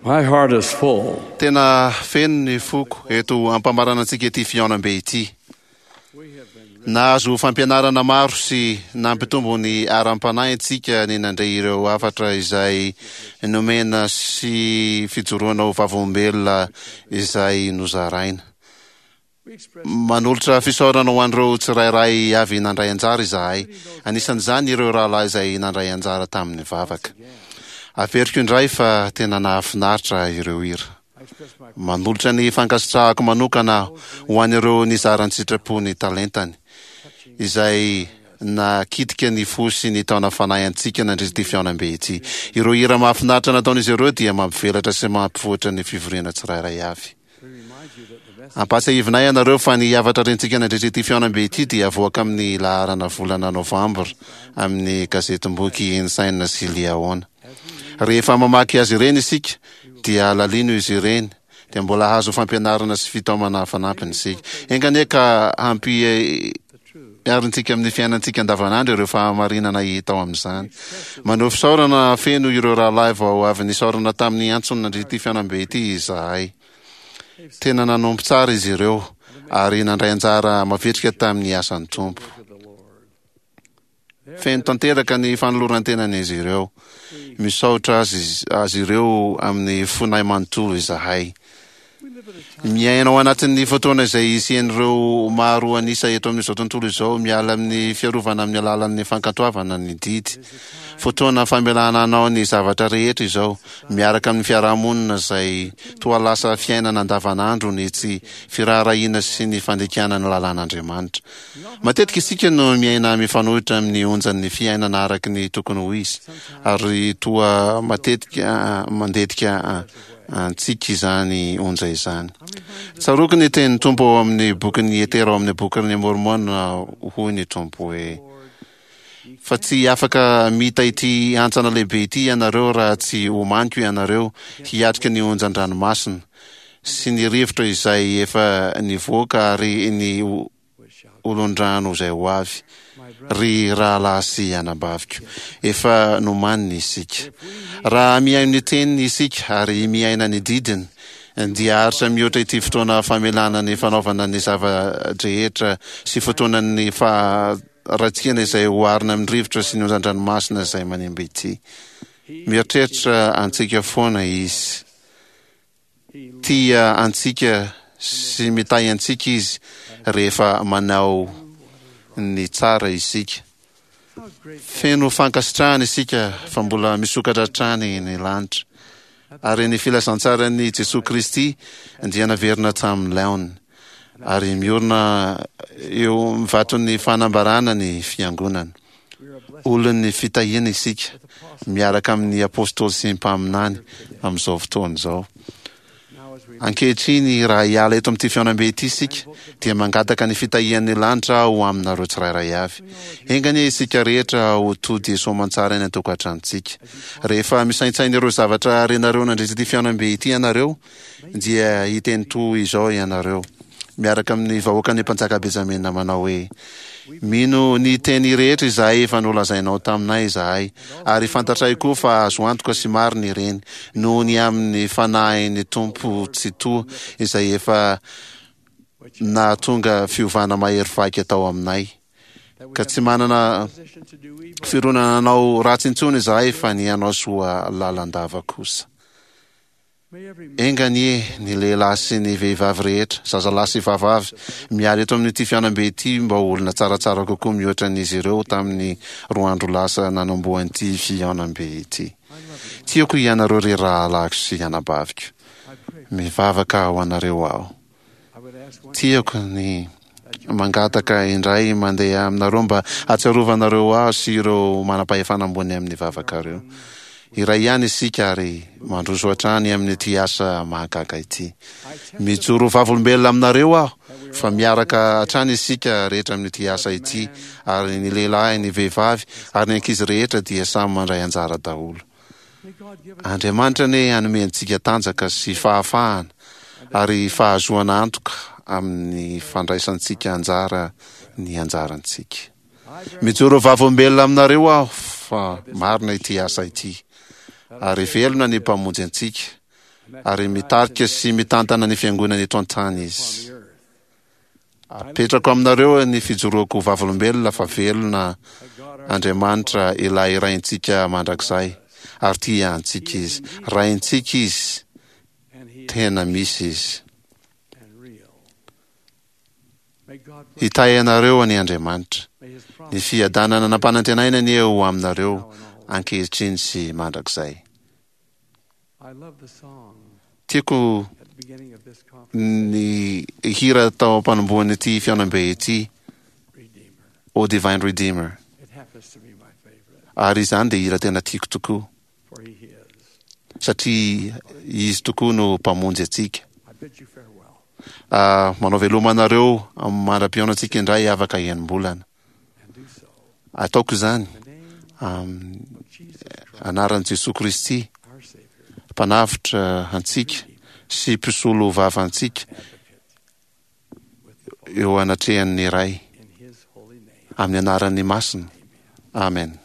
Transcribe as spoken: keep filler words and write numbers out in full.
My heart is full. Tena feno ny foko eto ampamaranantsika ity fihaonambe ity. Nahazo fampianarana maro sy nampitombo ny aram-panahintsika ny nandre ireo hafatra izay nomena sy fijoroana ho vavolombelona izay nozaraina. Manolotra fisaorana ho an'ireo tsirairay avy nandray anjara izahay, anisan'izany ireo rahalahy izay nandray anjara tamin'ny vavaka. Averiko indray fa tena nahafinaritra ireo hira. Manolotra ny fankasitrahako manokana aho ho an'ireo nizara an-tsitrapo ny talentany, izay nakitika ny fo sy ny taona fanahy antsika nandritra ity fihaonambe ity. Ireo hira mahafinaritra nataon'izy ireo dia mampivelatra sy mampivoatra ny fivoriana tsirairay avy. Ampahatsiahivinay ianareo fa ny hafatra rentsika nandritra ity fihaonambe ity dia avoaka amin'ny laharana volana Novambra amin'ny gazetim-boky Ensign sy Liahona. Rehefa mamaky azy ireny isika dia alalino izy ireny dia mbola hahazo fampianarana sy fitaomana fanampiny isika. Enga anie ka hampiharintsika amin'ny fiainantsika andavanandro ireo fahamarinana hita ao amin'izany. Maneho fisaorana feno ireo rahalahy vao avy nisaorana tamin'ny antsony nandritra ity fihaonambe ity izahay. Tena nanompo tsara izy ireo ary nandray anjara mavitrika tamin'ny asan'ny Tompo. Feno tanteraka ny fanoloran-tenan'izy ireo. Misaotra azy azy ireo amin'ny fonay manontolo izahay. Miaina ao anatin'ny fotoana izay hisian'ireo maro an'isa eto amin'izao tontolo izao miala amin'ny fiarovana amin'ny alalan'ny fankatoavana ny didy. Fotoana famelana anao ny zavatra rehetra izao, miaraka amin'ny fiarahamonina izay toa lasa fiainana andavanandro ny tsy firaharahiana sy ny fandikana ny lalàn'Andriamanitra. Matetika isika no miaina mifanohitra amin'ny onjan'ny fiainana araka ny tokony ho izy, ary toa matetika mandetika antsika izany onja izany. Tsaroako ny tenin'ny Tompo ao amin'ny bokin'ny Etera ao amin'ny bokin'ny Môrmôna, hoy ny Tompo hoe: Fa tsy afaka mita ity hantsana lehibe ity ianareo raha tsy omaniko ianareo hiatrika ny onjan-dranomasina sy ny rivotra izay efa nivoaka ary ny olon-drano izay ho avy. Ry rahalahy sy anabaviko, efa nomaniny isika. Raha mihaino ny teniny isika ary miaina ny didiny, dia haharitra mihoatra ity fotoana famelana ny fanaovana ny zava-drehetra sy fotoanan'ny faharatsiana izay oharina amin'ny rivotra sy ny onjan-dranomasina izay manimba ity. Mieritreritra antsika foana Izy. Tia antsika sy mitahy antsika Izy rehefa manao ny tsara isika. Feno fankasitrahana isika fa mbola misokatra hatrany ny lanitra, ary ny filazantsaran'i Jesoa Kristy dia naverina tamin'ny laoniny, ary miorina eo amin'ny vaton'ny fanambarana ny Fiangonana. Olon'ny fitahiana isika, miaraka amin'ny apôstôly sy mpaminany amin'izao fotoana izao. Ankehitriny, raha hiala eto amin'ity fihaonambe ity isika, dia mangataka ny fitahian'ny lanitra aho ho aminareo tsirairay avy. Enga anie isika rehetra ho tody soamantsara any an-tokantranontsika. Rehefa misaintsaina ireo zavatra renareo nandritra ity fihaonambe ity ianareo, dia hiteny toy izao ianareo, miaraka amin'ny vahoakan'ny mpanjaka Benjamina manao hoe, Mino ny teny rehetra izay efa nolazainao taminay izahay, ary fantatray koa fa azo antoka sy marina ireny, noho ny amin'ny Fanahin'ny Tompo Tsitoha izay efa nahatonga fiovana mahery vaika tao aminay, ka tsy manana fironana hanao ratsy intsony izahay fa ny hanao soa lalandava kosa. Enga anie ny lehilahy sy ny vehivavy rehetra, zazalahy sy vavavy, miala eto amin'ity fihaonambe ity mba ho olona tsaratsara kokoa mihoatra an'izy ireo tamin'ny roa andro lasa nanombohan'ity fihaonambe ity. Tiako ianareo ry rahalahiko sy anabaviko. Mivavaka ho anareo aho. Tiako ny mangataka indray mandeha aminareo mba hahatsiarovanareo ahy sy ireo manam-pahefana ambony amin'ny vavakareo. Iray ihany isika ary mandroso hatrany amin'ity asa mahagaga ity. Mijoro vavolombelona aminareo aho fa miaraka hatrany isika rehetra amin'ity asa ity ary ny lehilahy, ny vehivavy ary ny ankizy rehetra dia samy mandray anjara daholo. Andriamanitra anie hanome antsika tanjaka sy fahafahana ary fahazoana antoka amin'ny fandraisantsika anjara ny anjarantsika. Mijoro vavolombelona aminareo aho fa marina ity asa ity, ary velona ny Mpamonjy antsika, Ary mitarika sy mitantana ny fiangonana eto an-tany izy. Apetrako aminareo ny fijoroako vavolombelona fa velona Andriamanitra ilay Raintsika mandrakizay, ary tia antsika izy. Raintsika izy, tena misy izy. Hitahy anareo anie Andriamanitra. Ny fiadanana nampanantenaina anie ho aminareo ankehitriny sy mandrakizay. Tiako ny hira tao am-panombohan'ity fihaonambe ity, O Divine Redeemer. Ary izany dia hira tena tiako tokoa, satria izy tokoa no mpamonjy antsika. Manao veloma anareo mandra-pihaonantsika indray afaka enim-bolana. Ataoko izany amin'ny anaran'i Jesoa Kristy, Mpanavotra antsika sy Mpisolo vava antsika eo anatrehan'ny Ray, amin'ny anarany masina. Amen.